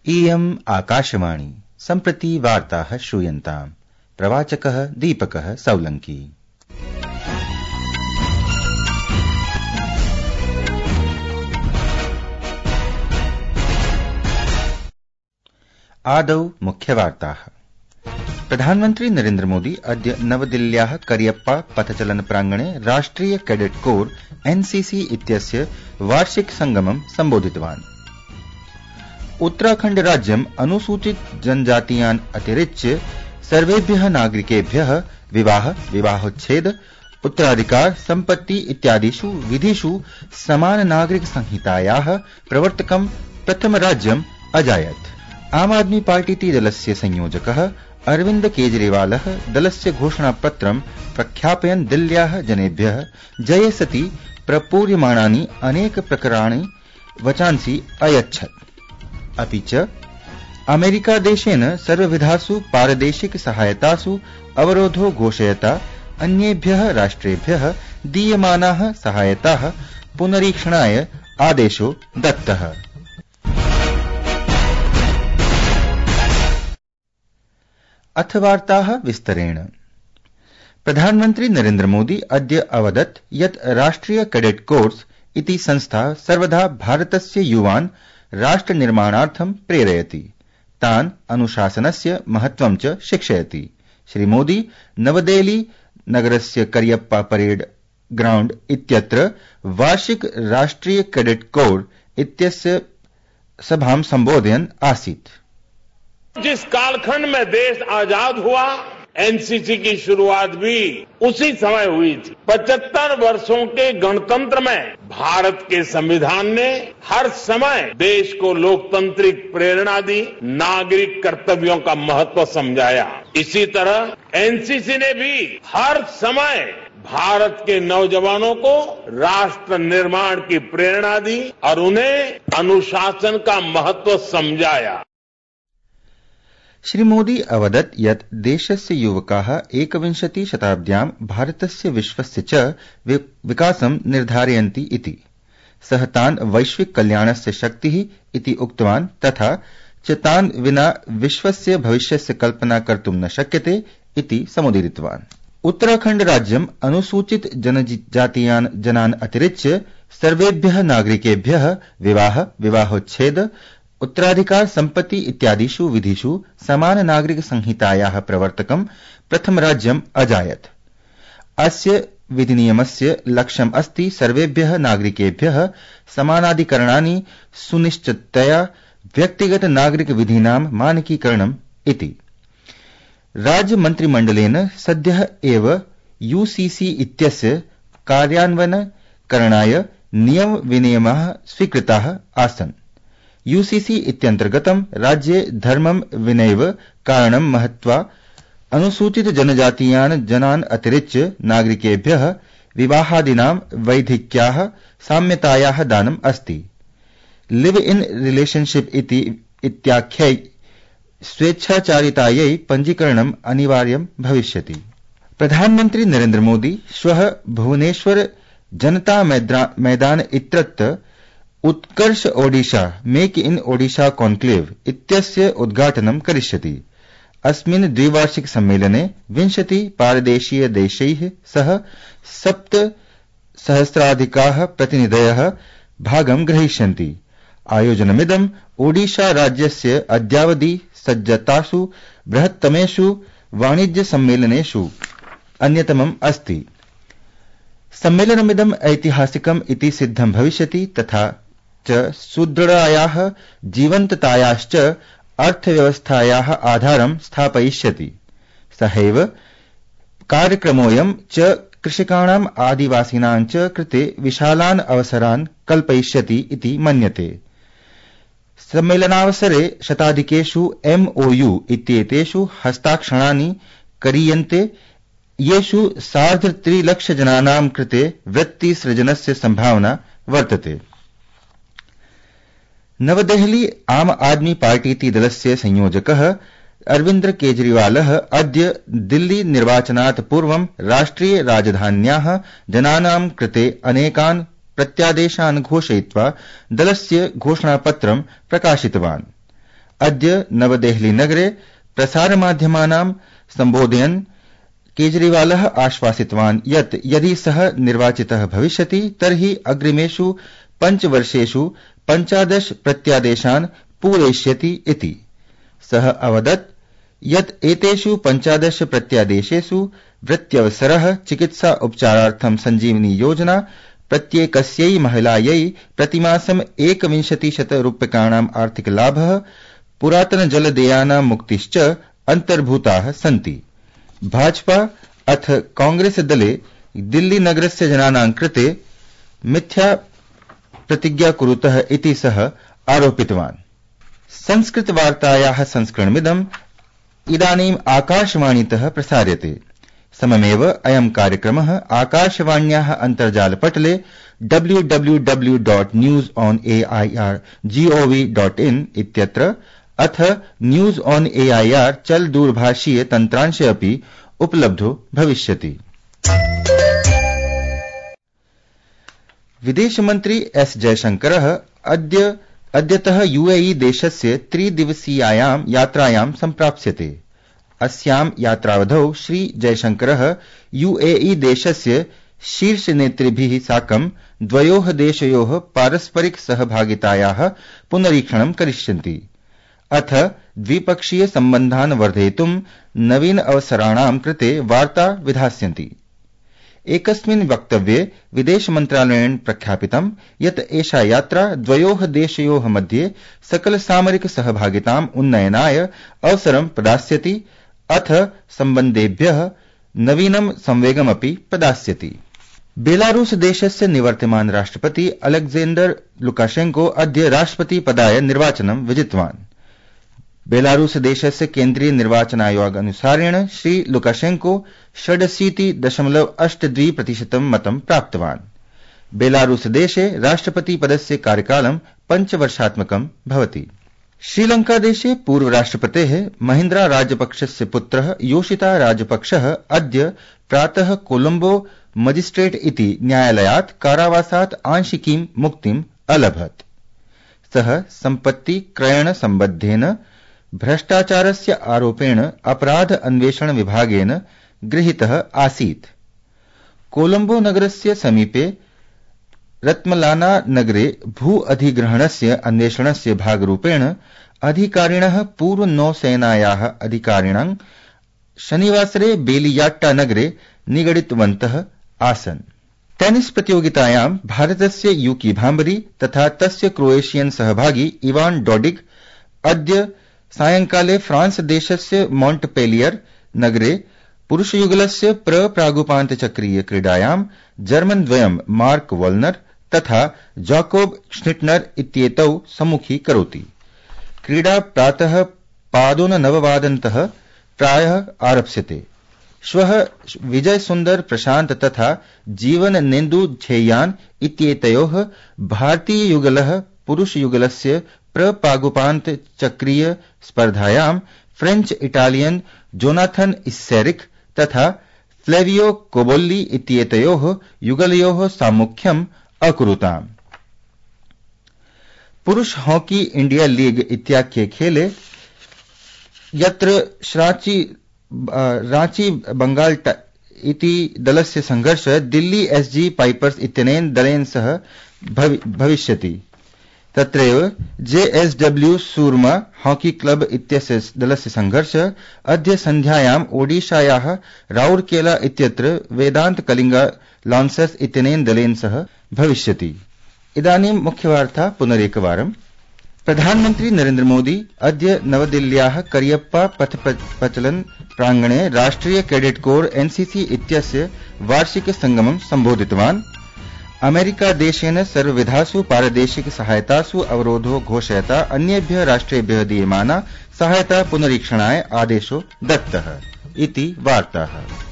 इयम् आकाशवाणी सम्प्रति वार्ताः श्रूयन्ताम्। प्रवाचकः दीपकः सौलङ्की। आदौ मुख्यवार्ताः। प्रधानमन्त्री नरेन्द्र मोदी अद्य नवदिल्ल्याः करियप्पा पथचलन प्राङ्गणे राष्ट्रिय कैडेट कोर एनसीसी इत्यस्य वार्षिक संगमं सम्बोधितवान्। उत्तराखण्ड राज्यम् अनुसूचित जनजातीयान् अतिरिच्य सर्वेभ्यः नागरिकेभ्यः विवाह, विवाहोच्छेद, उत्तराधिकार, सम्पत्ति इत्यादिषु विधिषु समान नागरिक संहितायाः प्रवर्तकं प्रथम राज्यम् अजायत्। आम आदमी पार्टीति दलस्य संयोजकः अरविन्द केजरीवालः दलस्य घोषणापत्रं प्रख्यापयन् दिल्ल्याः जनेभ्यः जये सति प्रपूर्यमाणानि अनेक प्रकरणानि वचांसि अयच्छत्। अपि च अमेरिकादेशेन सर्वविधासु पारदेशिक सहायतासु अवरोधो घोषयता अन्येभ्यः राष्ट्रेभ्यः दीयमानाः सहायताः पुनरीक्षणाय आदेशो दत्तः। अथ वार्ताः विस्तरेण। प्रधानमन्त्री नरेन्द्र मोदी अद्य अवदत् यत् राष्ट्रिय कैडेट कोर्स इति संस्था सर्वदा भारतस्य युवान् राष्ट्रनिर्माणार्थं प्रेरयति, तान् अनुशासनस्य महत्त्वं च शिक्षयति। श्री मोदी नवदेहली नगरस्य करियप्पा परेड ग्राउण्ड इत्यत्र वार्षिक राष्ट्रिय कैडेट कोर इत्यस्य सभां संबोधयन् आसीत्। जिस कालखंड में देश आजाद हुआ, एनसीसी की शुरुआत भी उसी समय हुई थी। 75 वर्षों के गणतंत्र में भारत के संविधान ने हर समय देश को लोकतांत्रिक प्रेरणा दी, नागरिक कर्तव्यों का महत्व समझाया। इसी तरह एनसीसी ने भी हर समय भारत के नौजवानों को राष्ट्र निर्माण की प्रेरणा दी और उन्हें अनुशासन का महत्व समझाया। श्री मोदी अवदत् यत् देशस्य युवकाः 21 शताब्द्यां भारतस्य विश्वस्य च विकासं निर्धारयन्ति इति। सः तान् वैश्विक कल्याणस्य शक्तिः इति उक्तवान्, तथा च तान् विना विश्वस्य भविष्यस्य कल्पना कर्तुं न शक्यते इति समुदीरितवान्। उत्तराखण्ड राज्यम् अनुसूचित जनजातीयान् जनान् अतिरिच्य सर्वेभ्यः नागरिकेभ्यः विवाह, विवाहोच्छेद, उत्तराधिकार, सम्पत्ति इत्यादिषु विधिषु समान नागरिक संहितायाः प्रवर्तकं प्रथम राज्यम् अजायत्। अस्य विधिनियमस्य लक्ष्यम् अस्ति सर्वेभ्यः नागरिकेभ्यः समानाधिकरणानि सुनिश्चिततया व्यक्तिगत नागरिक विधीनां मानकीकरणम् इति। राज्य मन्त्रिमण्डलेन सद्यः एव यूसीसी इत्यस्य कार्यान्वयनकरणाय नियम विनियमाः स्वीकृताः आसन्। यूसीसी इत्यन्तर्गतं राज्ये धर्मं विनैव कारणं महत्वा अनुसूचित जनजातीयान् जनान् अतिरिच्य नागरिकेभ्यः विवाहादीनां वैधिक्याः साम्यतायाः दानम् अस्ति। लिव इन रिलेशनशिप इत्याख्यै स्वेच्छाचारितायै पञ्जीकरणम् अनिवार्यं भविष्यति। प्रधानमन्त्री नरेन्द्र मोदी श्वः भुवनेश्वर जनता मैदान इत्यत्र उत्कर्ष Odisha make in Odisha conclave इत्यस्य उद्घाटनं करिष्यति। अस्मिन् द्विवार्षिक सम्मेलने 20 पारदेशीय देशैः सह 7,000 प्रतिनिधयः भागं ग्रहीष्यन्ति। आयोजनमिदं ओडिशा राज्यस्य अद्यावधि सज्जतासु बृहत्तमेषु वाणिज्य सम्मेलनेषु अन्यतमम् अस्ति। सम्मेलनमिदम् ऐतिहासिकम् इति सिद्धं भविष्यति, तथा च सुदृढायाः जीवन्ततायाश्च अर्थव्यवस्थायाः आधारं स्थापयिष्यति। सहैव कार्यक्रमोऽयं च कृषकाणाम् आदिवासिनां च कृते विशालान् अवसरान् कल्पयिष्यति इति मन्यते। सम्मेलनावसरे शताधिकेषु MOU इत्येतेषु हस्ताक्षराणि करीयन्ते, येषु 3.5 लाख जनानां कृते वृत्तिसृजनस्य संभावना वर्तते। नवदेहली आम आदमी पार्टीति दलस्य संयोजकः अरविन्द केजरीवालः अद्य दिल्ली निर्वाचनात् पूर्वं राष्ट्रिय राजधान्याः जनानां कृते अनेकान् प्रत्यादेशान् घोषयित्वा दलस्य घोषणापत्रं प्रकाशितवान्। अद्य नवदेहली नगरे प्रसारमाध्यमानां सम्बोधयन् केजरीवालः आश्वासितवान् यत् यदि सः निर्वाचितः भविष्यति तर्हि अग्रिमेषु 5 वर्षेषु 15 प्रत्यादेशान् पूरयिष्यति इति। सः अवदत् यत् एतेषु 15 प्रत्यादेशेषु वृत्यवसरः, चिकित्सा उपचारार्थं सञ्जीवनी योजना, प्रत्येकस्यै महिलायै प्रतिमासं 2100 रूप्यकाणाम् आर्थिकलाभः, पुरातनजलदेयानां मुक्तिश्च अन्तर्भूताः सन्ति। भाजपा अथ कांग्रेस दले दिल्ली नगरस्य जनानां कृते मिथ्या प्रतिज्ञा कुरुतः इति सः आरोपितवान्। संस्कृतवार्तायाः संस्करणमिदम् इदानीम् आकाशवाणीतः प्रसार्यते। सममेव अयं कार्यक्रमः आकाशवाण्याः अन्तर्जालपटले www.newsonair.gov.in इत्यत्र अथ न्यूज ऑन एआईआर चल दूरभाषीय तन्त्रांशे अपि उपलब्धो भविष्यति। विदेशमन्त्री एस जयशंकरः अद्यतः यूएई देशस्य 3 दिवसीयायां यात्रायां सम्प्राप्स्यते। अस्यां यात्रावधौ श्री जयशंकरः यूएई देशस्य शीर्षनेतृभिः साकं द्वयोः देशयोः पारस्परिक सहभागितायाः पुनरीक्षणं करिष्यन्ति। अथ द्विपक्षीय सम्बन्धान् वर्धयितुं नवीन अवसराणां कृते वार्ता विधास्यन्ति। एकस्मिन् वक्तव्ये विदेश मन्त्रालयेन प्रख्यापितं यत् एषा यात्रा द्वयोः देशयोः मध्ये सकल सामरिक सहभागिताम् उन्नयनाय अवसरं प्रदास्यति अथ सम्बन्धेभ्यः नवीनं संवेगमपि प्रदास्यति। बेलारूस देशस्य निवर्तमान राष्ट्रपति अलेक्जेंडर लुकाशेंको अद्य राष्ट्रपति पदाय निर्वाचनं विजितवान्। बेलारूस देशस्य केन्द्रीय निर्वाचनायोग अनुसारेण श्री लुकाशेंको 86.82% मतं प्राप्तवान्। बेलारूस देशे राष्ट्रपति पदस्य कार्यकालं 5 वर्षात्मकं भवति। श्रीलंका देशे पूर्व राष्ट्रपतेः महिन्द्रा राजपक्षस्य पुत्रः योशिता राजपक्षः अद्य प्रातः कोलंबो मजिस्ट्रेट इति न्यायालयात् कारावासात् आंशिकीं मुक्तिम् अलभत्। सः सम्पत्ति क्रयण सम्बद्धेन भ्रष्टाचारस्य आरोपेण अपराध अन्वेषण विभागेन गृहीतः आसीत्। कोलंबो नगरस्य समीपे रत्मलाना नगरे भू अधिग्रहणस्य अन्वेषणस्य भागरूपेण अधिकारिणः पूर्व नौसेनायाः अधिकारिणां शनिवासरे बेलियाट्टा नगरे निगडितवन्तः आसन्। टेनिस प्रतियोगितायां भारतस्य यूकी भाम्बरी तथा तस्य क्रोएशियन सहभागी इवान डोडिग अद्य सायंकाले फ्रांस देशस्य मॉन्टपेलियर नगरे पुरुषयुगलस्य प्रागुपान्तचक्रीय क्रीडायां जर्मन द्वयं मार्क वॉल्नर तथा जॉकोब श्निटनर इत्येतौ सम्मुखी करोति। क्रीडा प्रातः 9:15 प्रायः आरप्स्यते। श्वः विजय सुंदर प्रशांत तथा जीवन नेन्दु झेयान इत्येतयोः भारतीय युगलः पुरुष युगलस्य प्रपागुपान्त चक्रीय स्पर्धायां फ्रेंच इटालियन जोनाथन इस्सेरिक तथा फ्लेवियो कोबोल्ली इत्येतयोः युगलयोः साम्मुख्यम् अकुरुताम्। पुरुष हॉकी इंडिया लीग इत्याख्ये खेले यत्र रांची बंगाल इति दलस्य संघर्षः दिल्ली एसजी पाइपर्स इत्यनेन दलेन सह भविष्यति। तत्रैव जेएसडब्ल्यू सूरमा हॉकी क्लब इत्यस्य दलस्य संघर्षः अद्य सन्ध्यायाम् ओडिशायाः राउरकेला इत्यत्र वेदांत कलिंगा लॉन्सर्स इत्यनेन दलेन सह भविष्यति। इदानीं मुख्यवार्ता पुनरेकवारम्। प्रधानमन्त्री नरेन्द्र मोदी अद्य नवदिल्ल्याः करियप्पा पथप्रचलन प्रांगणे राष्ट्रिय कैडेट कोर एनसीसी इत्यस्य वार्षिक संगमं सम्बोधितवान्। अमेरिका देशेन सर्वविधासु पारदेशिक सहायतासु अवरोधो घोषयता अन्येभ्यः राष्ट्रेभ्यः दीयमाना सहायता पुनरीक्षणाय आदेशो दत्तः इति वार्ताः।